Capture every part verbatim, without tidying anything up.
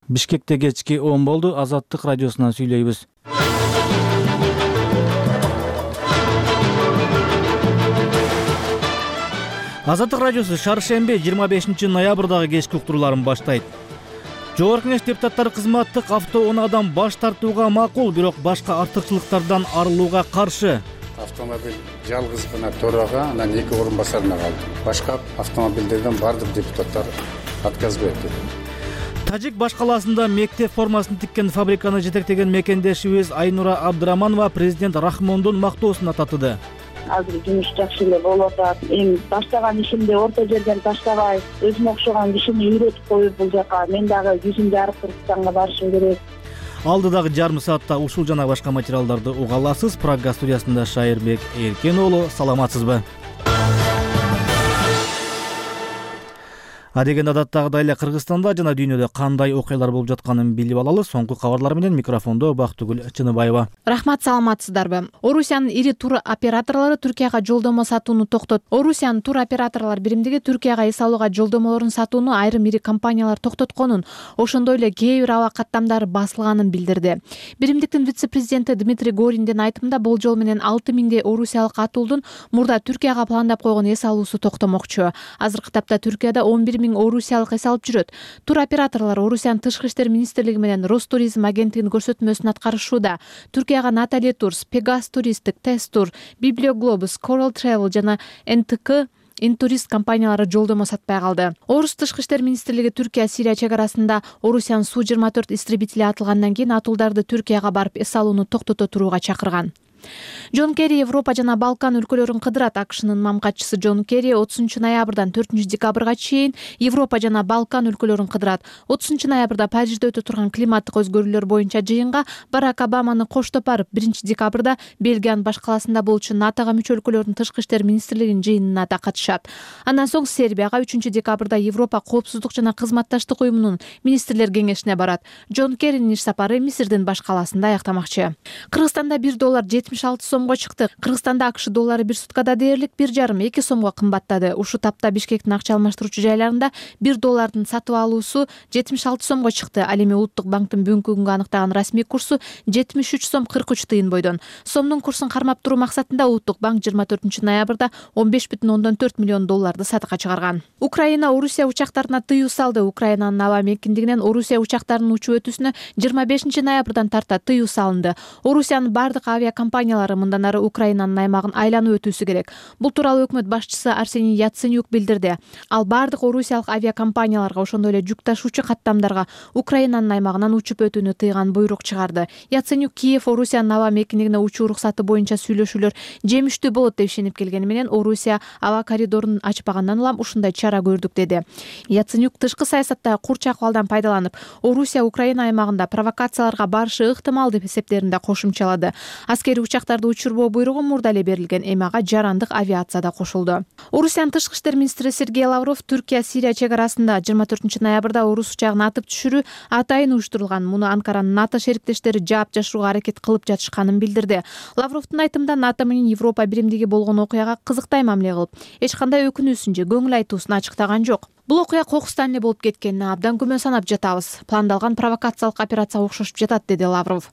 Бишкекте кечки он болду. Азаттык радиосунан сүйлөйбүз. Азаттык радиосу шаршемби жыйырма бешинчи ноябрдагы кечки уктурууларын баштайт. Жогорку Кеңеш депутаттары кызматтык автоунаадан баш тартууга макул, бирок башка артыкчылыктардан арылууга каршы. Автомобиль жалгыз гана төрага, анан эки орун басарына калды. Башка автомобилдерден бардык депутаттар отказ берди. Тажик баш калаасында мектеп формасын тиккен фабриканы жетектеген мекендешибиз Айнура Абдыраманова президент Рахмондун мактоосуна татыды. Азыр жумуш жакшы эле болуп атат. Эми баштаган ишимди орто жерден таштабай, өзүмө окшогон кишини үйрөтүп коюп бул жака мен дагы жүзүмдү жарып Кыргызстанга барышым керек. Алдыдагы жарым саатта ушул жана башка материалдарды уга аласыз. Прага студиясында Шайырбек Эркен уулу, саламатсызбы? Адеген адаттагыдай эле Кыргызстанда жана дүйнөдө кандай окуялар болуп жатканын билип алалы. Соңку кабарлар менен микрофондо Бактыгүл Чыныбаева. Рахмат, саламатсыздарбы? Орусиянын ири тур операторлору Түркияга жолдомо сатууну токтот. Орусиянын тур операторлор биримдиги Түркияга эс алууга жолдомолорун сатууну айрым ири компаниялар токтотконун, ошондой эле кээ бир аба каттамдары басылганын билдирди. Биримдиктин вице-президенти Дмитрий Гориндин айтымында болжол менен алты миңдей орусиялык атуулдун мурда Түркияга пландап койгон эс алуусу токтомокчу. Азыркы тапта Түркияда он бир миң орусиялык эс алып жүрөт. Тур операторлор Орусиянын тышкы иштер министрлиги менен Ростуризм агенттигинин көрсөтмөсүн аткарышууда. Түркияга Натали Турс, Пегас Туристик, Тестур, Библиоглобус, Coral Travel жана эн тэ ка Интурист компаниялары жолдомо сатпай калды. Орус тышкы иштер министрлиги Түркия Сирия чек арасында Орусиянын Су жыйырма төрт истребители атылгандан кийин атуулдарды Түркияга барып эс алууну токтото турууга чакырган. Джон Керри Европа жана Балкан өлкөлөрүн кыдырат. АКШнын мамгатчысы Джон Керри отузунчу ноябрдан төртүнчү декабрга чейин Европа жана Балкан өлкөлөрүн кыдырат. отузунчу ноябрда Парижде өтө турган климаттык өзгөрүүлөр боюнча жыйынга Барак Обаманы коштоп барып, биринчи декабрда Бельгиянын баш калаасында болчу НАТОга мүчө өлкөлөрдүн тышкы иштер министрлигинин жыйынына да катышат. Андан соң Сербияга үчүнчү декабрда Европа коопсуздук жана кызматташтык уюмунун министрлер кеңешине барат. Джон Керринин иш сапары Мисирдин баш калаасында аяктамакчы. Кыргызстанда бир доллар жетимиш алты сомго чыкты. Кыргызстанда АКШ доллары бир суткада дээрлик бир жарым эки сомго кымбаттады. Ушул тапта Бишкектин акча алмаштыруучу жайларында бир доллардын сатып алуусу жетимиш алты сомго чыкты. Ал эми Улуттук банктын бүгүнкү күнгө аныктаган расмий курсу жетимиш үч сом кырк үч тыйын бойдон. Сомдун курсун кармап туруу максатында Улуттук банк жыйырма төртүнчү ноябрда он беш бүтүн ондон төрт миллион долларды сатыкка чыгарган. Украина Орусия учактарына тыюу салды. Украинанын аба мекендигинен Орусия учактарынын учуп өтүүсүнө жыйырма бешинчи ноябрдан тарта тыюу салынды. Орусиянын бардык авиакомпаниялары мындан ары Украинанын аймагын айланып өтүүсү керек. Бул тууралуу өкмөт башчысы Арсений Яценюк билдирди. Ал бардык орусиялык авиакомпанияларга, ошондой эле жүк ташуучу каттамдарга Украинанын аймагынан учуп өтүүнү тыйган буйрук чыгарды. Яценюк Киев Орусиянын аба мекенигине учуу уруксаты боюнча сүйлөшүүлөр жемиштүү болот деп ишенип келгени менен Орусия аба коридорун ачпагандан улам ушундай чара көрдүк деди. Яценюк тышкы саясаттагы курч акыбалдан пайдаланып, Орусия Украина аймагында провокацияларга барышы ыктымал деп эсептеринде кошумчалады. Аскерий учактарды учурбоо буйругу мурда эле берилген, эми ага жарандык авиация да кошулду. Орусиянын тышкы иштер министри Сергей Лавров Түркия Сирия чек арасында жыйырма төртүнчү ноябрда орус учагын атып түшүрүү атайын уюштурулган. Муну Анкаранын НАТО шериктештери жаап жашырууга аракет кылып жатышканын билдирди. Лавровдун айтымында НАТО менен Европа биримдиги болгон окуяга кызыктай мамиле кылып, эч кандай өкүнүүсүн же көңүл айтуусун ачыктаган жок. Бул окуя кокустан эле болуп кеткенине абдан күмөн санап жатабыз. Пландалган провокациялык операцияга окшошуп жатат, деди Лавров.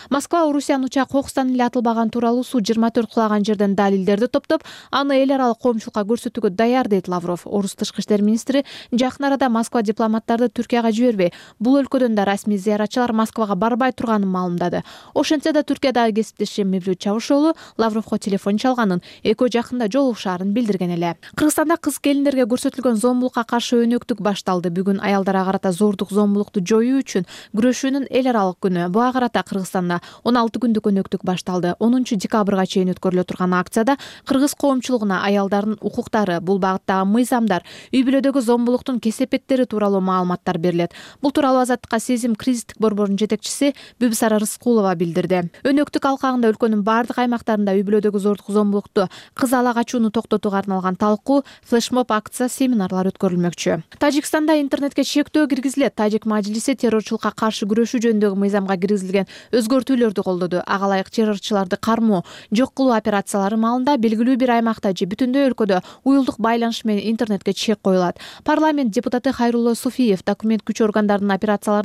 Москва Орусиянын учак кокустан эле атылбаган тууралуу Су жыйырма төрт кулаган жерден далилдерди топтоп, аны эл аралык коомчулукка көрсөтүүгө даяр, дейт Лавров. Орус тышкы иштер министри жакын арада Москва дипломаттарды Түркияга жибербей, бул өлкөдөн да расмий зыяратчылар Москвага барбай турганын маалымдады. Ошентсе да Түркиядагы кесиптеши Мевлют Чавушоğlu Лавровго телефон чалганын, экөө жакында жолугушаарын билдирген эле. Кыргызстанда кыз келиндерге көрсөтүлгөн зомбулукка каршы өнөктүк башталды. Бүгүн аялдарга карата зордук зомбулукту жоюу үчүн күрөшүүнүн эл аралык күнү. Буга карата Кыргызстанда он алты күндүк өнөктүк башталды. онунчу декабрга чейин өткөрүлө турган акцияда кыргыз коомчулугуна аялдардын укуктары, бул багыттагы мыйзамдар, үй бүлөдөгү зомбулуктун кесепеттери тууралуу маалыматтар берилет. Бул тууралуу Азаттыкка Сезим кризистик борборунун жетекчиси Бүбүсара Рыскулова билдирди. Өнөктүк алкагында өлкөнүн бардык аймактарында үй бүлөдөгү зордук зомбулукту, кыз ала качууну токтотууга арналган талкуу, флешмоб, акция, семинарлар өткөрүлмөкчү. Тажикстанда интернетке чектөө киргизилет. Тажик мажлиси террорчулукка каршы күрөшүү жөнүндөгү мыйзамга киргизилген өзгөртүүлөрдү колдоду. Ага ылайык террорчуларды кармоо, жок кылуу операциялары маалында белгилүү бир аймакта же бүтүндөй өлкөдө уюлдук байланыш менен интернетке чек коюлат. Парламент депутаты Хайрулло Суфиев документ күч органдарынын операцияларын